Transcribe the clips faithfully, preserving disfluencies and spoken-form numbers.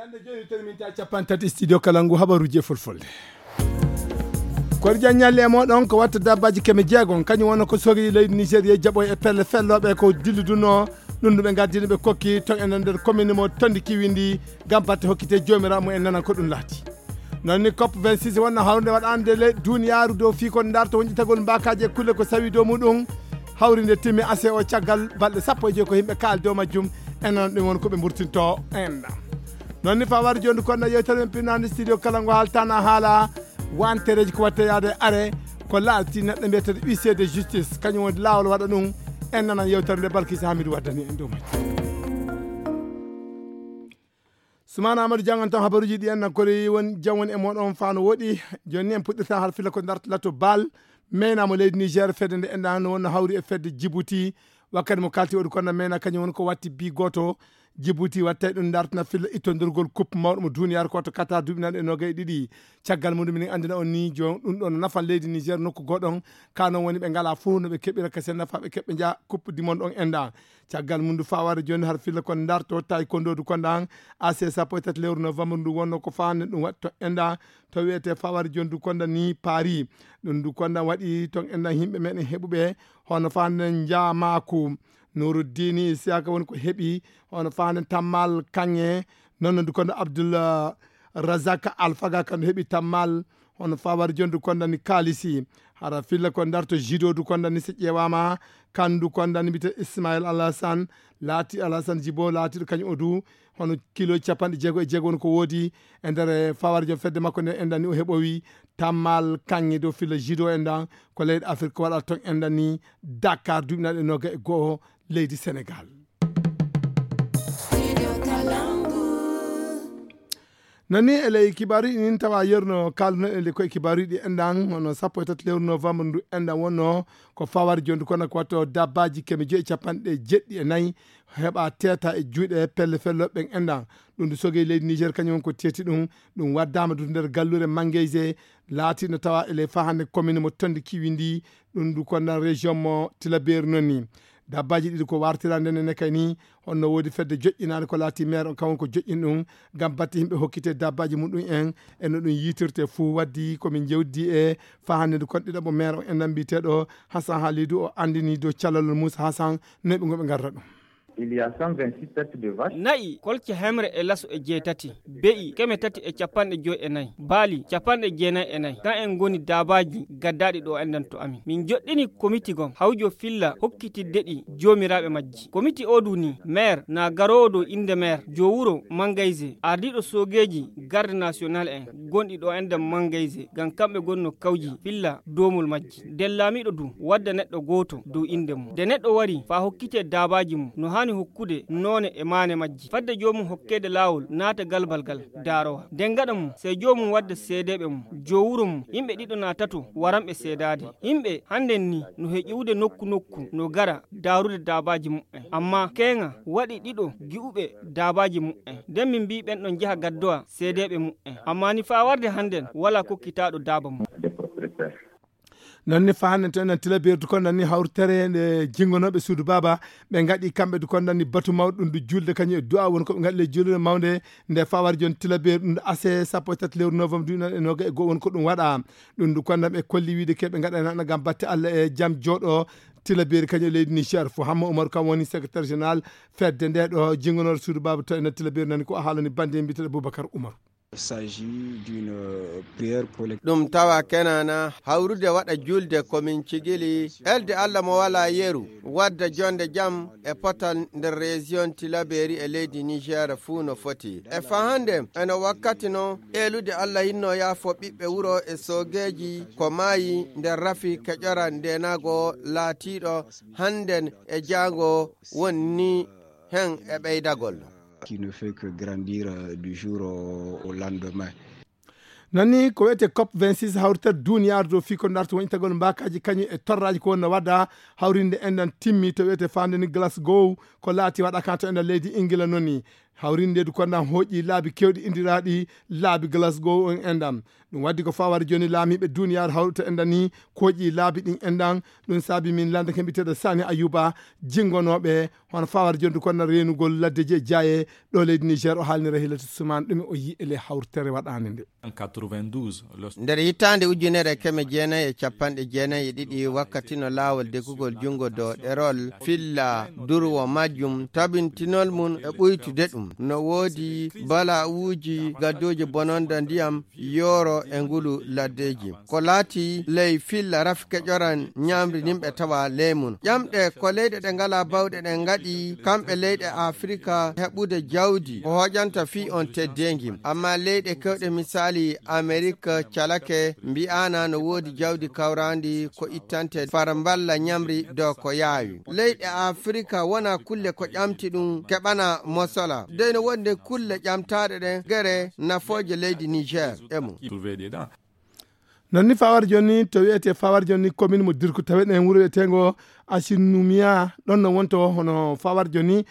Hannde jooni, terminta capanɗe tati studio kala ngu habaruuji e fulfulde. Koɗi jan ñalli e mooɗon ko watta dabbaji keme jeegom, kañum wonno ko sogi leydi Nigeria jaɓo e pelle fellooɓe ko dilluduno. Ɗum ɗum ɓe ngaddino ɓe kokki ton e nder commune mo Tondi Kiwindi ngam batte hokkite joomiraaɗo mum en nanan ko ɗum laati. Noon ni cop vingt-six wonno hawrude waɗande le duniyaaru dow fii ko darto wonƴitagol mbaakaaji e kulle ko sawi dow muɗum. Hawrinde timmi ase o caggal balɗe sappo e joyi ko yimɓe kaali dow majjum. En nanan ɗum won ko ɓe mburtinto en. Noon ni fawar jondu konno yewtere men pinnaande studio kala ngo haaltana haala wantereeji ko watte yaade are ko laati neɗɗo mbiyeteeɗo huissier de justice kañum woni laawol waɗa ɗum. En nanan yewtere nde Balkisa Hamidu waddani en dow majjum. Sumana Amadou jangan tan habaruuji ɗi en nan koɗi won jam woni e moɗon fano woɗi. Joni ni en puɗɗirta har fila ko dartata to bal. Meyna mo leydi Niger fedde nde enɗa no wonno hawri e fedde Djibouti. Wakkati mo kalti waɗi kono meyna kañum woni ko watti bi goto. Djibouti wattay ɗum dartana fila ittondirgol coupe mawɗo mo duniyaaru ko to Qatar duuɓi nanɗe nogay ɗiɗi. Caggal muɗum minen andina on ni jon ɗum ɗon nafan leydi Niger nokku goɗon. Ka non woni ɓe ngala fof no ɓe keɓira ka sen nafa ɓe keɓɓe nja coupe du monde on enɗa. Caggal mum ndu faware joni har filla kon darto tawi kondodu konda an. Ac sappo e tati lewru novembre ndu wonno ko fande ɗum waɗi to enɗa. To wiyete faware joni du konda ni paris. Ɗum du konda waɗi ton enɗa yimɓe meɗen heɓuɓe hono fande njamaku. Nuruddini siyaka woni ko heɓi hono fande tammal kanŋe. Noon du konda abdullah razak alfaga kandu heɓi tammal. Hono fawar jondu kondani kalisi hara filla ko darto jidodu kondani si ƴeewama. Kandu kondani mbite ismail alhasan laati alhasan jibo laatiɗo kañum o du. Hono kilo capanɗe jeego e jeego woni ko woodi e nder fawar jom fedde makko nde endani o heɓowi tammal kanŋe dow filla jido endan. Ko leyɗe afrik ko waɗata toon endani dakar duuɓinaɗe noga e go'o leydi sénégal. Nani e ley kibaaruuji ɗin tawa yerno kalduno e koye kibaaruuji ɗi enɗan hono sappo e tati lewru novembre ndu enɗan wonno ko fawar jondu kono ko watto dabbaji keme joyi e capanɗe jeɗɗi e nayi heɓa teeta e juuɗe pelle fello ɓen enɗan. Ɗum ndu sogey leydi niger kañum ko teeti ɗum. Ɗum waddama du nder gallure mangeyse laatiɗo tawa e ley fahande commune mo tondi kiwi ndi. Ɗum ndu kondan région mo tilabeeri noon ni dabbaji ɗiɗi ko wartirande nene kay ni. Honno woodi fedde joƴƴinaande ko laati maire on kam woni ko joƴƴin ɗum ngam batte yimɓe hokkite dabbaji muɗum en e no ɗum yitirte fuu waddi komin jewdi e fahannde ndu kon ɗiɗo mo maire on enɗan mbiyeteeɗo hasan halidu o anndini dow callalol moussa hasan. Noy ɓe ngoɓe ngarra ɗum. Il y a cent vingt-six têtes de vache. Na'i kolce hemre e laso e jeetati, be'i keme tati e capanɗe joy e nayi, baali capanɗe jeenayi e nayi. Kan en ngoni daabaaji gaddaaɗi ɗo enɗan to amin. Min joɗɗini komiti gom hawjo filla hokkitidde ɗi joomiraaɓe majji. Komiti o du ni maire na garoowo dow innde maire, joo wuro mangayse, ardiiɗo soogeeji garde national en gonɗi ɗo enɗan mangayse ngam kamɓe gonno kawji filla doomol majji. Nden laamiiɗo du wadda neɗɗo gooto dow innde mum. Nde neɗɗo wari faa hokkitee daabaaji mum no haani hokkude noone e maane majji. Fadde joomum hokkeede laawol naata galbal gal daarowa. Nden gaɗa mum sey joomum wadda seedeeɓe mum, joo wuro mum, yimɓe ɗiɗo naa tato waranɓe seedaade. Yimɓe hannden ni no he ƴiwude nokku nokku no gara daarude daabaaji muɓɓen. Ammaa keeŋa waɗi ɗiɗo gi'uɓe daabaaji muɓɓen. Nden min mbii ɓen ɗon njaha gaddowa seedeeɓe muɓɓen. Ammaa ni faa warde hannden walaa kokkitaaɗo daaba mum. Noon ni fahannen to enen tilabeerdu kon nanni hawritere nde jingonooɓe suudu baaba ɓe ngaɗi kamɓe du kon nanni batu mawɗo ɗum du julde kañum e du'a woni ko ɓe ngaɗi le julde mawnde. Nde fawar jon tilabeer ɗum ase sappo e tati lewru novembre duuɓi noon e noga e goo woni ko ɗum waɗa. Ɗum du kon nan ɓe kolli wiide ke ɓe ngaɗa nana ngam batte allah e jam jooɗo. Tilabeeri kañum e leydi niger fo hamma oumar kam woni secrétaire général fedde nde ɗo jingonooɗo suudu baaba to enen tilabeeri nani ko a haalani bande mbiteɗo boubacar oumar. S'agit d'une prière collective. Ɗum tawa kenana hawrude waɗa julde komin cigili elde allah mo wala yeru wadda jonde jam e potal nder région tilaberi e leydi niger fuu no foti e fahande eno wakkati no elude allah hinno yaafo ɓiɓɓe wuro e soogeeji ko maayi nder rafi keƴora ndenago laatiiɗo hannden e jaango wonni hen e ɓeydagol. Qui ne fait que grandir du jour au lendemain. Nani ko wiyete cop vingt-six hawrital duniyaaru dow fii ko darta woñitagol mbaakaaji kañum e torraaji ko wonno wadda hawrinde enɗan timmi to wiyete faande ni glasgow ko laati waɗa kan to enɗan leydi ingila noni. Hawrinde du kondan hoƴi laabi kewɗi indiraaɗi laabi Glasgow on enɗan. Ɗum waddi ko fawar joni laamiiɓe duniyaaru hawruta enɗan ni koƴi laabi ɗin enɗan. Ɗum saabi min landa kemɓiteɗo Sani Ayuba jingonooɓe hono fawar joni du kondan reenugol laddeji e jaaye ɗo leydi Niger. O haalnira Hilatu Suman ɗum o yi e le hawrtere waɗande nde. Nder hitaande ujunere e keme jeenayi e capanɗe jeenayi e ɗiɗi, wakkati no laawol degugol junngo dow ɗerol filla durwo majjum, tabintinol mum e ɓuytude ɗum, no woodi bala'uuji gaddooji bononda ndiyam yooro e ngulu laddeeji. Ko laati ley filla rafi keƴoran ñaamri ndin ɓe tawa ley mum. Ƴamɗe ko leyɗe ɗe ngalaa bawɗe ɗen ngaɗi, kamɓe leyɗe Afirika heɓude jawdi ko hoƴanta fii on teddeengi. Amma leyɗe kewɗe misaali Amerik calake mbi'aana no woodi jawdi kawraandi ko ittante far mballa ñamri dow ko yaawi. Leyɗe Afirika wona kulle ko ƴamti ɗum keɓana mosola. Dey no wondi kulle ƴamtaaɗe ɗen gere nafooje leydi Niger e mum. Non ni fawar joni to wiyete fawar joni commune mo Dirku tawe ɗen wuro wiyetengo Asinumia ɗon no wonto hono fawar joni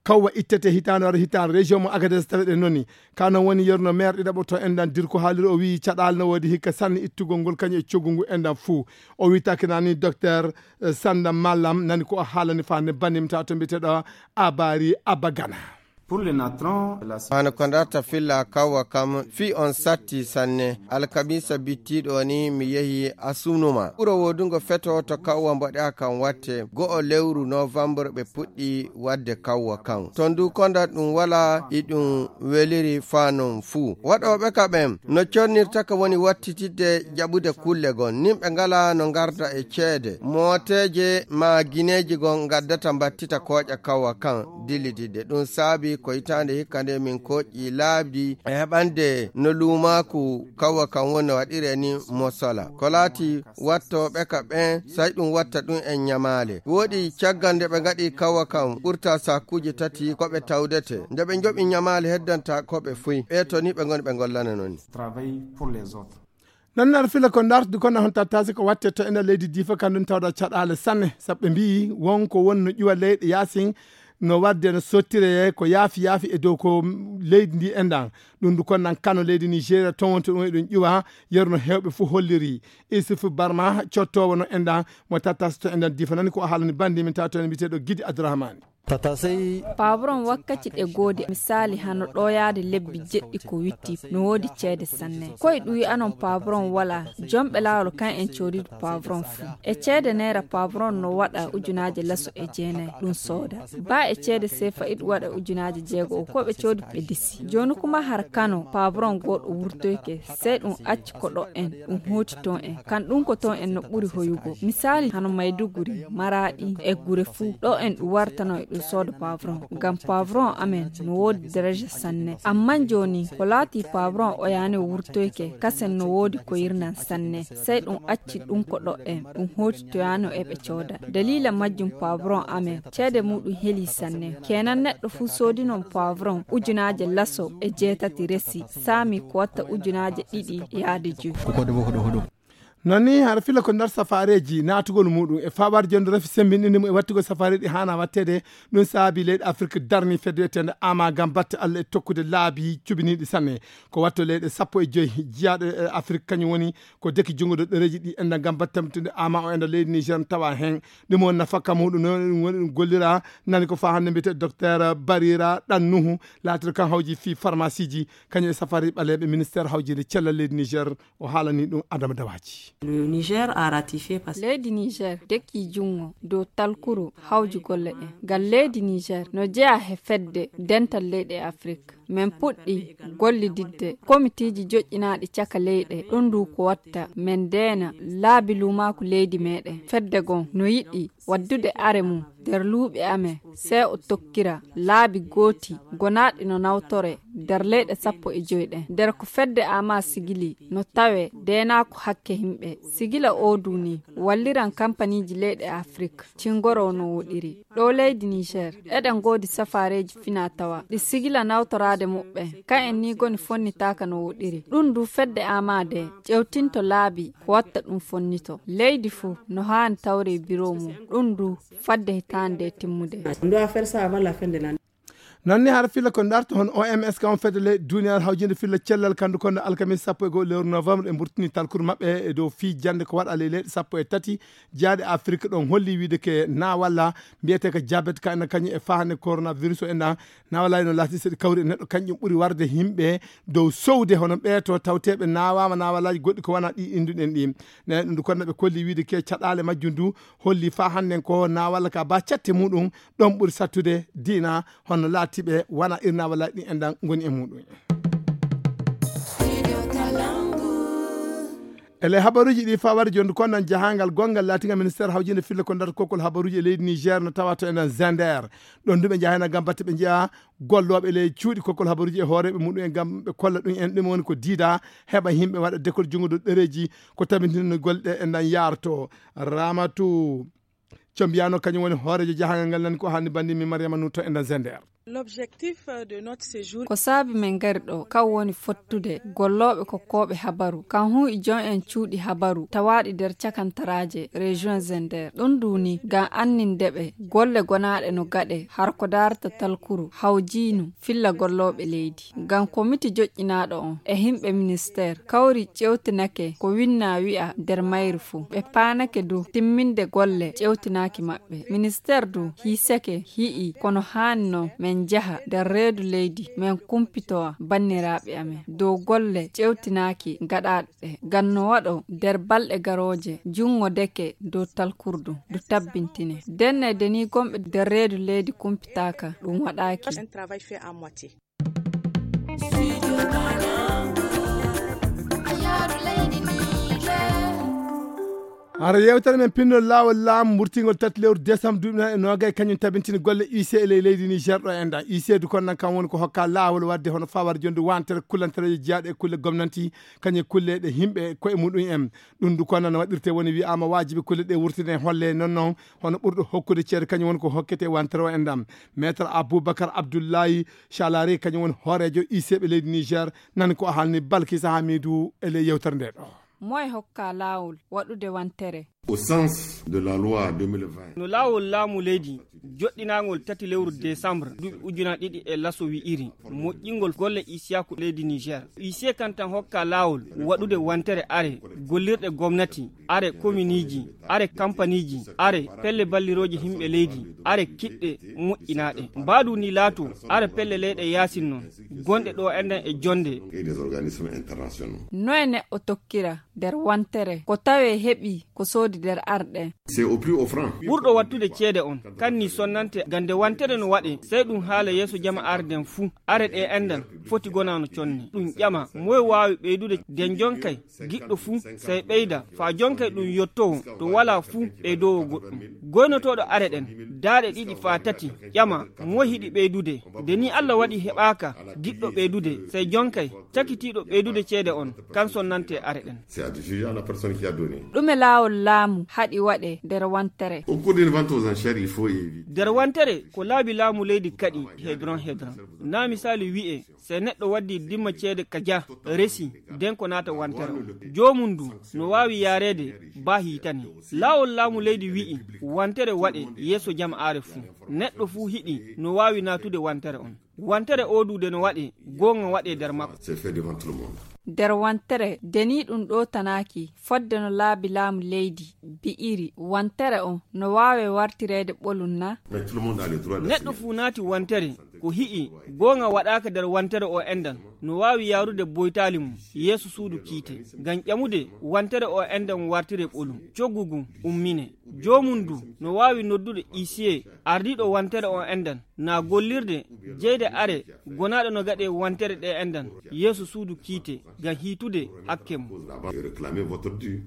kawwa ittete hitaande wara hitaande région mo Agadez tawe ɗen noni. Ka non woni yerno maire ɗiɗaɓo to enɗan Dirku haaliri o wiyi caɗaali no woodi hikka sanne ittugol ngol kañum e coggu ngu enɗan fuu. O wiyi takinani docteur eh, Sanda Mallam nani ko o haalani fa ne banimta to mbiyeteɗo Abari Abagana. Pour le natron, la Hano ko ndarta filla kawwa kam fii on satti sanne. Alkamisa bittiiɗo ni mi yehi Asunuma. Ɓuro woodungo feto to kawwa mboɗa kan watte. Go'o lewru novembre ɓe puɗɗi wadde kawwa kan. To ndu konda ɗum wala iɗum weliri fa non fuu. Waɗooɓe ka ɓen no cornirta ka woni wattitidde jaɓude kulle gon. Nimɓe ngala no ngarda e ceede. Mooteeje ma gineeji gon ngaddata mbattita kooƴa kawwa kan. Dillididde. Ɗum saabi ko hitaande hikka nde min koƴƴi laabi e heɓande no luumaaku kawwa kan woni no waɗire ni mosola. Ko laati wattooɓe ka ɓen, say ɗum watta ɗum en ñamaale. Woɗi caggal nde ɓe ngaɗi kawwa kan ɓurta sakkuuji tati ko ɓe tawdete. Nde ɓe njoɓi ñamaale heddanta ko ɓe fuy. Ɓe to ni ɓe ngoni ɓe ngollana non. Travail pour les autres. Nannar fila ko ndartude kono hon tattasi ko watte to ena leydi difa kanɗum tawda caɗaale sanne sabu ɓe mbiyi won ko won no ƴuwa leyɗe yaasin no wadde no sottire ko yaafi yaafi e dow ko leydi ndi enɗan. Ɗum ndu konnan kano leydi Nigeria towonto ɗum eɗum ƴuwa yerno hewɓe fof holliri. Isuf Barma cottowo no enɗan mo tattasi to enɗan difa nani ko o haalani bandi min tawa to en mbiteɗo Gidi Abdourahmane. Pavron wakkati ɗe goodi misali hano ɗoyaade lebbi jeɗɗi ko witti no woodi ceede sanne. Koye ɗuwi anon pavron wala jomɓe laawol kan en coodidu pavron fuu. E ceede neera pavron no waɗa ujunaaje laso e jeenayi ɗum sooda. Ba e ceede sefa iɗu waɗa ujunaaje jeego o ko ɓe coodi ɓe disi. Jooni kuma har kano pavron goɗɗo wurtoyke sey ɗum acci ko ɗo en ɗum hooti ton en kan ɗum ko ton en no ɓuri hoyugo. Misali hano mayduguri maraɗi e gure fuu ɗo en ɗum wartano e ɗum sooda pavron. Ngam pavron amen no woodi daraja sanne. Amman jooni ko laati pavron o yaani o wurtoyke kasen no woodi ko yirnan sanne. Sey ɗum acci ɗum ko ɗo en ɗum hooti to yaano e ɓe cooda. Dalila majjum pavron amen ceede muɗum heli sanne. Kenan neɗɗo fuu soodinon pavron ujunaaje laso e jeetati resi saami ko watta ujunaaje ɗiɗi yaade joyi. Ko koɗo fof ko ɗo hoɗo. Non ni hara fila ko nder safareji natugol muɗum e faɓar jonde rafi sembinɗinde mum e wattugol safareji hana wattede. Ɗum saabi leyɗe afrique darni fedde wiyetende ama gam batte allah e tokkude laabi cubiniɗi sanne. Ko watto leyɗe sappo e joyi jiyaɗo e afrique kañum woni ko deki junngo ɗo ɗereji ɗi enda gam batte tamtude ama o enda leydi niger tawa hen. Ɗum woni nafakka muɗum noon ɗum woni ɗum gollira nani ko fa hannde mbiyete docteur barira ɗannuhu laatira kan hawji fii pharmacie ji kañum e safari ɓaleeɓe ministére hawjinde cellal leydi niger. O haalani ɗum adama dawaji. Le Niger a ratifié parce que leydi niger dekki junngo dow talkuru hawji golle ɗen ngal leydi niger no jeya he fedde dental leyɗe afrique. Min puɗɗi gollididde komitiiji joƴƴinaaɗi caka leyɗe ɗum ndu ko watta min ndeena laabi luumaaku leydi meɗen fedde gon no yiɗi waddude are mum nder luuɓi amen sey o tokkira laabi gooti gonaaɗi no nawtore nder leyɗe sappo e joy ɗen nder ko fedde ama sigili no tawe deenaako hakke yimɓe. Sigila oo duu nii walliran kampaniiji leyɗe afrik cingoroo no woɗiri. Ɗoo leydi niger eɗen ngoodi safaareeji finaa-tawaa ɗi sigila nawtoraade muɓɓen. Kayen nii goni fonnitaaka no woɗiri. Ɗum duu fedde ama ndee ƴewtinto laabi ko watta ɗum fonnitoo. Leydi fuu no haani tawree biroo mum. Ɗum duu fadde hitaande ndee timmude. Nanni hara filla ko darto hon O M S, kam fedde leyɗe duniyaaru hawjinde filla cellal kandu kono alkamis sappo e goo lewru novembre e mburtini talkuru maɓɓe e dow fii jannde ko waɗa ley leyɗe sappo e tati jaaɗe Afrik. Ɗon holli wiide ke na walla mbiyete ko jabet ka ena kañum e fahande coronavirus o ena na walla no laati seɗi kawri e neɗɗo kañum ɓuri warde yimɓe dow sowde hono ɓeeto tawteɓe nawama nawalaji goɗɗi ko wana ɗi indu ɗen ɗi. Ne ɗum du kono ɓe kolli wiide ke caɗale majjum du holli fa hannden ko na walla ka ba catte muɗum ɗon ɓuri sattude diina hono laatiɓe wana irna walla ɗi enɗan ngoni e muɗum. Ele habaruji ɗi fawar jondu konnan jahangal gongal latinga ministère hawjinde fille ko ndar kokkol habaruji e leydi Niger no tawa to enɗan Zender. Ɗon duɓe jahayna gam batte ɓe njiya gollooɓe ley cuuɗi kokkol habaruji e hooreeɓe muɗum en gam ɓe kolla ɗum en ɗum woni ko diida heɓa yimɓe waɗa dekol junngo dow ɗereeji ko tabintinno golle ɗe enɗan yaarto. Ramatu Combiyano kañum woni hooreejo jahangal ngal nani ko haalni banndi mi Mariama Nuto e nder Zender. L'objectif, euh, de notre séjour. Ko saabi men ngari ɗo kan woni fottude gollooɓe kokkooɓe habaru kan hun e joom en cuuɗi habaru tawaaɗi nder cakantaraaje région Zender. Ɗum ndu ni ngam anninde ɓe golle gonaaɗe no gaɗe har ko daarata talkuru hawjiinu filla gollooɓe leydi. Ngam komiti joƴƴinaaɗo on e himɓe ministeer kawri ƴewtinake ko winna wi'a nder mayri fuu. Ɓe paanake du timminde golle ƴewtinaaki maɓɓe. Ministeer du hiisake hi'i kono haani non men njaha nder reedu leydi men kumpitowa banniraaɓe amen dow golle ƴewtinaaki gaɗaaɗe ɗe. Ngam no waɗo nder balɗe garooje junngo deke dow talkurdu du tabbintine. Denne deni gonɓe nder reedu leydi kumpitaaka ɗum waɗaaki. Hara yewtere men pinndol laawol laamu murtingol tati lewru décembre duuɓi nayi e noogay kañum tabintini golle U C e ley leydi Niger ɗo enɗan. U C du kon nan kam woni ko hokka laawol wadde hono fawar jondu wantere kullantereejo jeyaaɗo e kulle gomnanti kañum e kulle ɗe yimɓe koye muɗum en. Ɗum du kon nan waɗirte woni wi'aama waajibi kulle ɗe wurtine holle non non hono ɓurɗo hokkude ceede kañum woni ko hokkete wantere o enɗan. Maître Aboubacar Abdoulaye Chalari kañum woni hooreejo U C ɓe leydi Niger nani ko haalni Balkisa Hamidu e ley yewtere nde ɗo. Moye hokka laawol waɗude wantere? Au sens de la loi deux mille vingt. No laawol laamu leydi joɗɗinaangol tati lewru décembre duuɓi ujunaaji ɗiɗi e laso wi'iri moƴƴingol golle isiyaku leydi Niger. U C kan tan hokka laawol waɗude wantere are gollirɗe gomnati, are kominiiji, are kampaniiji, are pelle ballirooje yimɓe leydi, are kiɗɗe moƴƴinaaɗe. Mbaadu ni laato are pelle leyɗe yaasin non gonɗe ɗo enɗan e jonde. Et des organismes internationaux. Noye neɗɗo tokkira nder wantere ko tawe heɓi ko soodi nder arɗe? C'est au plus offrant. Ɓurɗo wattude ceede on kanni sonnante gande wantere no waɗe sey ɗum haala yeeso jama arden fuu. Are ɗe enɗan foti gonano conne ɗum ƴama moye waawi ɓeydude den jonkay giɗɗo fuu sey ɓeyda faa jonkay ɗum yottowo to walaa fuu ɓeydowo goɗɗum. Goynotooɗo are ɗen daaɗe ɗiɗi faa tati ƴama moye hiɗi ɓeydude. Nde ni Allah waɗi heɓaaka giɗɗo ɓeydude sey jonkay cakitiiɗo ɓeydude ceede on kan sonnante are ɗen. C'est à décider à la personne qui a donné. Ɗume laawol laamu haɗi waɗe nder wantere? Au cours d'une vente aux enchères, il faut éviter. Nder wantere ko laabi laamu leydi kaɗi hedron hedron. Na misali wi'e sey neɗɗo waddi dimma ceede ka ja resi den ko naata wantere on. Joomum du no waawi yaareede baa hiitani. Laawol laamu leydi wi'i wantere waɗe yeeso jama'aare fuu. Neɗɗo fuu hiɗi no waawi naatude wantere on. Wantere o du de no waɗe goonga waɗe nder makko. C'est fait devant tout le monde. Nder wantere deni ɗum ɗo tanaaki fodde no laabi laamu leydi bi'iri wantere on no waawe wartireede ɓolum na? Mais tout le monde a le droit d'assumer. Neɗɗo fuu naati wantere ko hi'i goonga waɗaaka nder wantere o enɗan no waawi yaarude boytaali mum yeeso suudu kiite ngam ƴamude wantere o enɗan wartire ɓolum coggu ngun ummine. Joomum du no waawi noddude isiye ardiiɗo wantere o enɗan na gollirde jeyde are gonaaɗo no gaɗe wantere ɗe enɗan yeeso suudu kiite ngam hiitude hakke mum. Réclamez votre dû.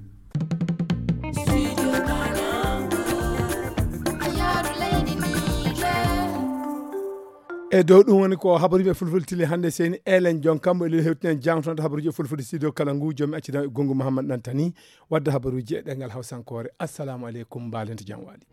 E dow ɗum woni ko habaruuji e fulfulde tili hannde seyni elen jon kammo e lil hewtinen jangtonde habaruuji e fulfulde studio kala ngu jomi accidam e gongu Mouhammad Nantani wadde habaruuji e ɗengal hawsankoore. Assalamu aleykum, mbaalente jam waali.